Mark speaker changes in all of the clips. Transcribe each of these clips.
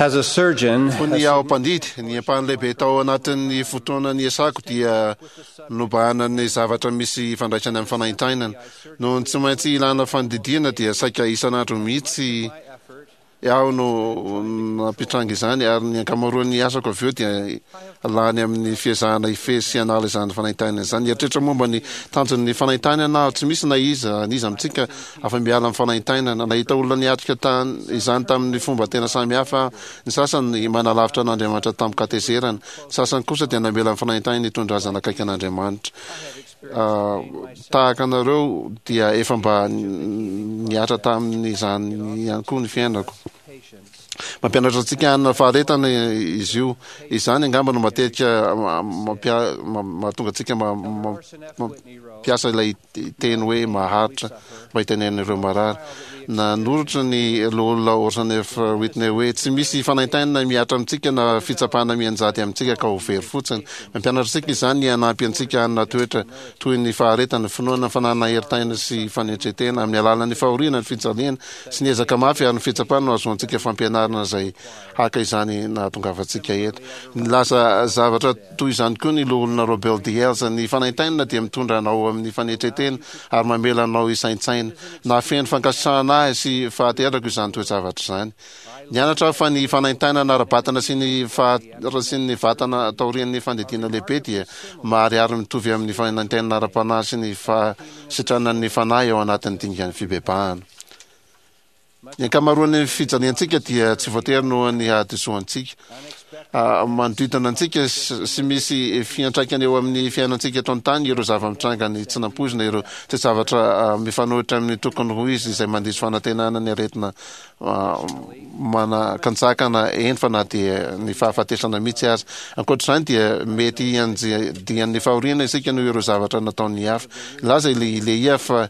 Speaker 1: As a surgeon,
Speaker 2: Fony aho mpandidy, ny ampahany lehibe tao anatin'ny fotoana niasako dia nobahanan'ny zavatra misy ifandraisany amin'ny fanaintainana. Noho ny tsy maintsy ilana fandidiana dia saika isan'andro mihitsy aho no nampitranga izany ary ny ankamaroan'ny asako avy eo dia lany amin'ny fiezahana hifehy sy hanala izany fanaintainana izany. Nieritreritra momba ny tanjon'ny fanaintainana aho. Tsy misy na iza n'iza amintsika afa-miala amin'ny fanaintainana. Nahita olona niatrika izany tamin'ny fomba tena samy hafa aho. Ny sasany manalavitra an'Andriamanitra tamin-katezerana. Ny sasany kosa dia namela ny fanaintainany hitondra azy hanakaiky an'Andriamanitra. Tahaka anareo dia efa mba nihatra tamin'izany ihany koa ny fiainako. Mampianatra antsika hanana faharetana izy io. Izany angamba no matetika mahatonga antsika mampiasa ilay teny hoe maharitra mba hitenenana ireo marary. Nanoratra ny Loholona Orson F. Whitney hoe, Tsy misy fanaintainana mihatra amintsika na fitsapana mianjady amintsika ka ho very fotsiny. Mampianatra antsika izany ny hanampy antsika hanana toetra toy ny faharetana, finoana, fananana herin-taina sy fanetren-tena. Amin'ny alalan'ny fahoriana, ny fijaliana, sy ny ezaka mafy ary ny fitsapana no ahazoantsika fampianarana izay haka izany nahatongavantsika eto. Nilaza zavatra toy izany koa ny Loholona Robert D. Hales, Ny fanaintainana dia mitondra anao amin'ny fanetren-tena ary mamela anao hisaintsaina. Nahafeno fankasitrahana ahy sy fahaterako izany toe-javatra izany. Nianatra aho fa ny fanaintainana ara-batana sy ny faharatsian'ny vatana taorian'ny fandidiana lehibe dia maharihary mitovy amin'ny fanaintainana ara-panahy sy ny fahasitranan'ny fanahy ao anatin'ny dingan'ny fibebahana. Ny ankamaroan'ny fijaliantsika dia tsy voatery noho ny hadisoantsika. Manodidina antsika sy misy fiantraikany eo amin'ny fiainantsika eto an-tany ireo zava-mitranga ny tsy nampoizina, ireo toe-javatra mifanohitra amin'ny tokony ho izy izay mandiso fanantenana ny aretina manakantsakana, eny fa na dia ny fahafatesana mihitsy aza. Ankoatra izany dia mety hianjadian'ny fahoriana isika noho ireo zavatra nataon'ny hafa. Nilaza i Lehia fa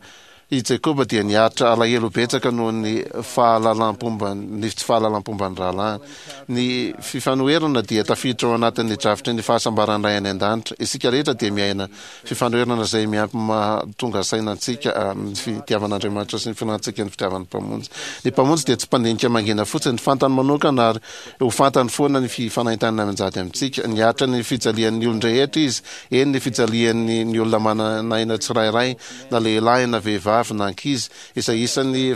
Speaker 2: I Jakoba dia niaritra alahelo betsaka noho ny fahalalam-pomba ny tsy fahalalam-pomban'ny rahalahiny. Ny fifanoherana dia tafiditra ao anatin'ny drafitry ny fahasambaran'ny Ray any An-danitra. Isika rehetra dia miaina fifanoherana izay miampy mahatonga saina antsika amin'ny fitiavan'Andriamanitra sy ny finoantsika ny fitiavan'ny Mpamonjy. Ny Mpamonjy dia tsy mpandinika mangina fotsiny. Fantany manokana ary ho fantany foana ny fifanaintainana mianjady amintsika. Niaritra ny fijalian'ny olon-drehetra Izy, eny ny fijalian'ny ny olona manan'aina tsirairay. na lehilahy na vehivavy na ankizy, izay isan'ny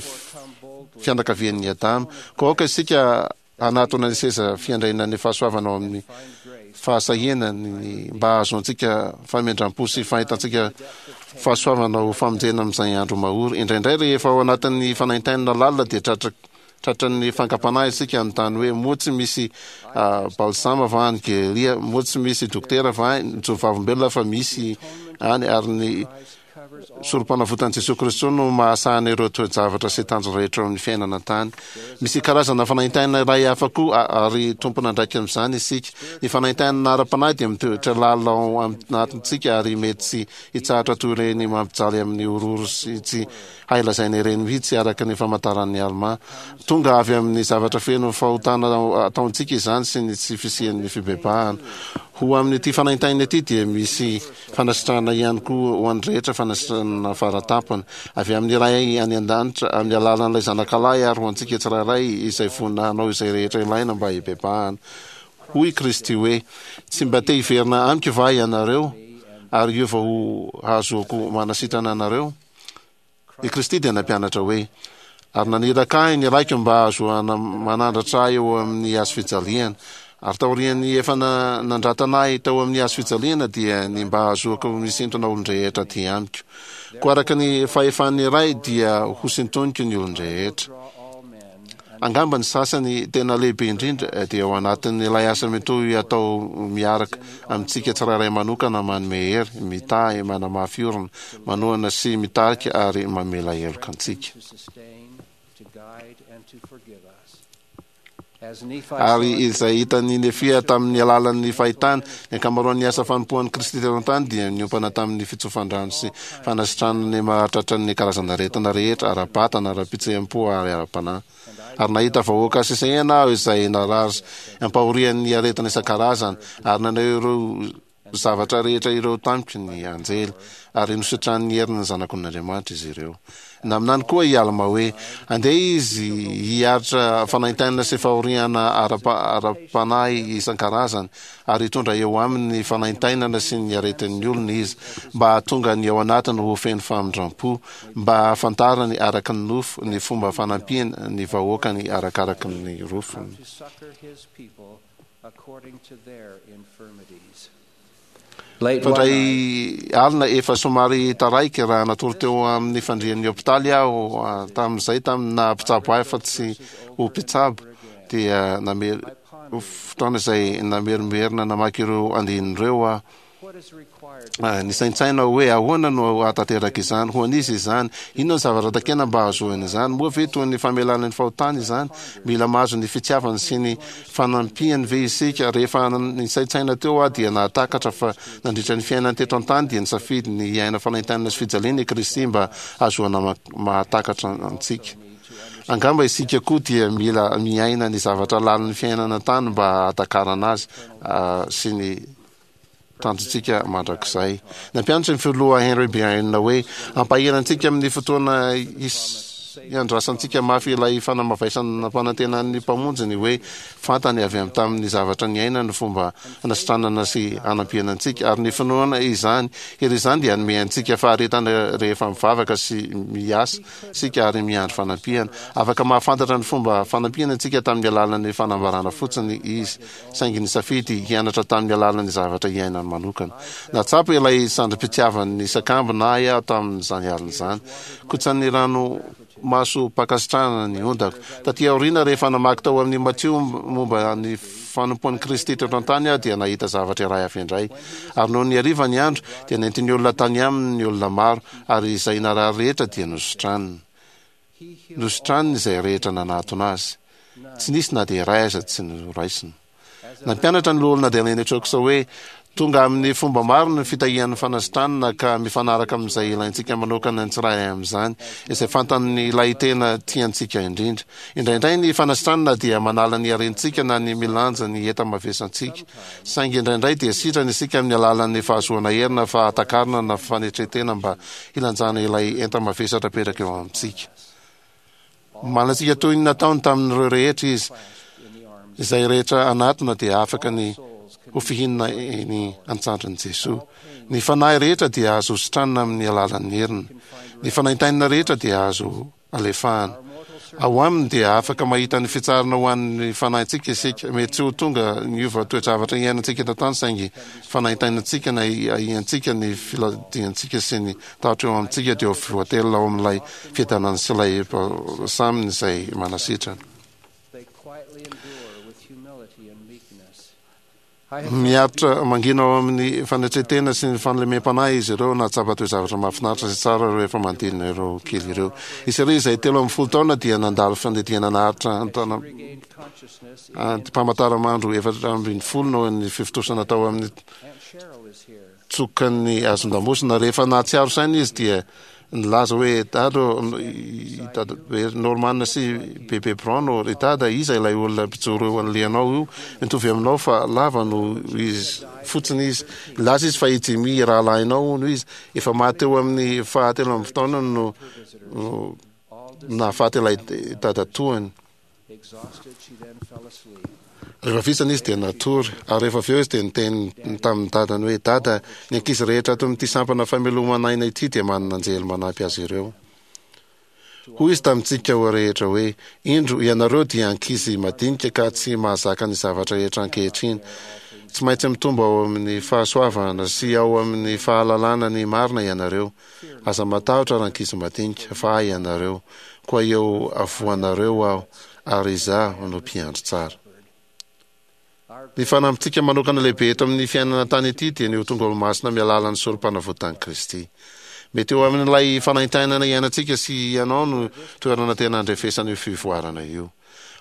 Speaker 2: fianakavian'i Adama. Koa aoka isika hanatona ny seza fiandrianan'ny fahasoavana ao amin'ny fahasahiana ny mba hahazoantsika famindram-po sy fahitantsika fahasoavana ho famonjena amin'izay andro mahory. Indraindray rehefa ao anatin'ny fanaintainana lalina dia tratra tratran'ny fankam-panahy isika hanontany hoe moa tsy misy balsama va any Gelia, moa tsy misy dokotera va any? Mijoro vavolombelona fa misy any ary ny Sorompanavotan'i Jesoa Kristy no mahasahana ireo toe-javatra sy tanjona rehetra eo amin'ny fiainana an-tany. Misy karazana fanaintainana iray hafa koa ary tompon'andraikitra amin'izany isika. Ny fanaintainana ara-panahy dia mitoetra lalina ao anatintsika ary mety tsy hitsahatra toy ireny mampijaly amin'ny horohoro sy tsy hay lazaina ireny mihitsy araka ny famantaran'i Almà. Tonga avy amin'ny zavatra feno fahotana ataontsika izany sy ny tsy fisian'ny fibebahana. Ho amin'ity fanaintainana ity dia misy fanasitranana ihany koa ho an'ny rehetra, fanasitranana faratampony avy amin'ny Ray any An-danitra amin'ny alalan'ilay Zanakalahy ary ho antsika tsirairay izay vonona hanao izay rehetra ilaina mba hibebahana. Hoy i Kristy hoe, Tsy mba te hiverina amiko va ianareo ary hiova ho hahazoako manasitrana anareo? I Kristy dia nampianatra hoe, Ary naniraka ahy ny Raiko mba hahazoana manandratra ahy eo amin'ny hazo fijaliana. Ary taorian'ny efa nandratana ahy teo amin'ny hazo fijaliana dia ny mba hahazoako misintona olon-drehetra aty amiko. Koa araka ny fahefan'ny Ray dia hosintoniko ny olon-drehetra. Angamba ny sasany tena lehibe indrindra dia ao anatin'ilay asa mitohy atao miaraka amintsika tsirairay manokana manome hery, mitahy, manamafy orina, manohana sy mitarika ary mamela heloka antsika. Ary izay hitan'i Nefia tamin'ny alalan'ny fahitany, ny ankamaroan'ny asa fanompoan'i Kristy teto an-tany dia niompana tamin'ny fitsofan-drano sy fanasitranana ny mahatratran'ny karazan'aretina rehetra, ara-batana, ara-pihetseham-po ary ara-panahy. Ary nahita vahoaka sesehena aho izay narary ampahorian'ny aretina isan-karazany, ary naneho ireo. zavatra rehetra ireo tamiko ny anjely, ary nositranin'ny herin'ny Zanak'Ondrin'Andriamanitra izy ireo. Naminany koa i Alma hoe, Andeha izy hiaritra fanaintainana sy fahoriana ara-panahy isan-karazany, ary hitondra eo aminy ny fanaintainana sy ny aretin'ny olona izy, mba hahatonga ny ao anatiny ho feno famindram-po, mba hahafantarany araka ny nofo ny fomba fanampiany ny vahoakany arakaraka ny rofiny. Fandray alina efa somary taraiky raha natory teo amin'ny fandrian'ny hopitaly aho tamin'izay tamin'ny naha mpitsabo ahy fa tsy ho mpitsabo dia namery fotoana izay namerimberina namaky ireo andininy ireo aho. Nisaintsaina aho hoe ahoana no hahatanteraka izany, ho an'iza izany, inona ny zavatra takiana mba hahazoana izany, moa ve toy ny famelana ny fahotana izany, mila mahazo ny fitiavany sy ny fanampiany ve isika? Rehefa nisaintsaina teo aho dia nahatakatra fa nandritra ny fiainany teto an-tany dia nisafidy ny hiaina fanaintainana sy fijaliana i Kristy mba hahazoana mahatakatra antsika. Angamba isika koa dia mila miaina ny zavatra lalin'ny fiainana an-tany mba hahatakarana azy sy ny tanjontsika mandrakizay. Nampianatra ny filoha Henry Bryan hoe, Hampahery antsika amin'ny fotoana hiandrasantsika mafy ilay fanamavaisana nampanantenan'ny Mpamonjy ny hoe fantany avy amin'ny tamin'ny zavatra niainany ny fomba hanasitranana sy hanampiana antsika, ary ny finoana izany hery izany dia hanome antsika faharetana rehefa mivavaka sy miasa isika ary miandry fanampiana. Afaka mahafantatra ny fomba fanampiana antsika tamin'ny alalan'ny fanambarana fotsiny Izy. saingy nisafidy hianatra tamin'ny alalan'ny zavatra iainany manokana. Nahatsapa ilay sandrim-pitiavan'ny sakambina ahy aho tamin'izany alina izany. Kotsan'ny ranomasom-pankasitrahana ny ondako. Tatỳ aoriana, rehefa namaky tao amin'ny Matio momba ny fanompoan'i Kristy teto an-tany aho, dia nahita zavatra iray hafa indray. Ary nony hariva ny andro, dia nentin'ny olona tany aminy ny olona maro, ary izay narary rehetra dia nositraniny. Nositraniny izay rehetra nanatona azy. Tsy nisy na dia iray aza tsy noraisina. Nampianatra ny Loholona Adeline Chucks hoe, Tonga amin'ny fomba maro ny fitahian'ny fanasitranana ka mifanaraka amin'izay ilaintsika manokana ny tsirairay amin'izany, izay fantan'ilay tena tiantsika indrindra. Indraindray ny fanasitranana dia manala ny harentsika na ny milanja ny enta-mavesantsika. Saingy indraindray dia sitrana isika amin'ny alalan'ny fahazoana hery na fahatakarana na fanetren-tena mba hilanjana ilay enta-mavesatra apetraka eo amintsika. Omaly antsika toy ny nataony tamin'ireo rehetra izy. Izay rehetra hanatona dia afaka ny ho fihinina eny an-tsandrin'i Jesoa. Ny fanahy rehetra dia azo sitranina amin'ny alalan'ny heriny. Ny fanaintainana rehetra dia azo alefahana. Ao aminy dia afaka mahita ny fitsarana ho an'ny fanahintsika isika. Mety tsy ho tonga niova toe-javatra iainantsika eto an-tany saingy fanaintainantsika na ahiantsika ny filadiantsika sy ny tahotra eo amintsika dia ho voatelina ao amin'ilay fiadanana sy ilay balsaminy izay manasitrana. Miaritra mangina ao amin'ny fanetren-tena sy ny fahalemem-panahy izy ireo, nahatsapa toe-javatra mahafinaritra sy tsara rehefa manodidina ireo kely ireo. I Sherry, izay 13 taona, dia nandalo fandidiana naharitra anti-pamantaramandro 14 noho ny fifontosana tao amin'ny tsokan'ny hazon-damosina. Rehefa nahatsiaro saina izy dia nilaza hoe, Dada ô, i Dadabe Norman sy Bebe Brown ô, ry Dada, iza ilay olona mpijoro eo anoloanao io? Mitovy aminao fa lava noho izy fotsiny izy. Nilaza izy fa i Jimmy rahalahinao hono izy. Efa maty teo amin'ny fahatelo amby taonany no nahafaty ilay dadatoany. Rehefa vizana izy dia natory, ary rehefa avy eo izy dia niteny tamin'ny dadany hoe, Dada, ny ankizy rehetra ato amin'ity sampana famelomana aina ity dia manana anjely manampy azy ireo. Hoy izy tamintsika rehetra hoe, Indro, ianareo dia ankizy madinika ka tsy mahazaka ny zavatra rehetra ankehitriny. Tsy maintsy mitombo ao amin'ny fahasoavana sy ao amin'ny fahalalana ny marina ianareo. Aza matahotra rankizy madinika, fa ahy ianareo, koa eo afoanareo aho, ary izaho no mpiandry tsara. Ny fanambintsika manokana lehibe eto amin'ny fiainana an-tany ity dia ny ho tonga olomasina amin'ny alalan'ny sorompanavotan'i Kristy. Mety eo amin'ilay fanaintainana iainantsika sy ianao no toerana tena andrefesana io fivoarana io.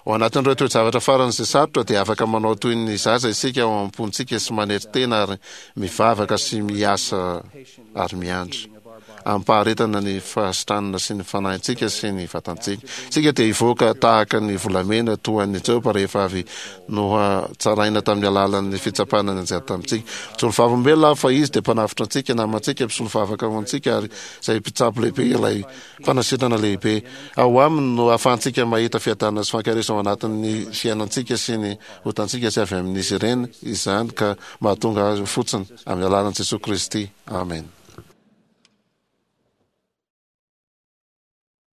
Speaker 2: Ao anatin'ireo toe-javatra faran'izay sarotra dia afaka manao toy ny zaza isika ao am-pontsika sy manetry tena ary mivavaka sy miasa ary miandry. Amim-paharetana ny fahasitranana sy ny fanahintsika sy ny vatantsika. Isika dia hivoaka tahaka ny volamena toa an'i Joba rehefa avy nohatsaraina tamin'ny alalan'ny fitsapana nianjady tamintsika. Mijoro vavolombelona aho fa Izy dia Mpanavotra antsika, namantsika, Mpisolovavaka ho antsika ary izay Mpitsabo lehibe, ilay Mpanasitrana lehibe. Ao Aminy no ahafahantsika mahita fiadanana sy fankaherezana ao anatin'ny fiainantsika sy ny otantsika sy avy amin'izy ireny izany ka mahatonga azy ho fotsiny amin'ny alalan'i Jesoa Kristy. Amena.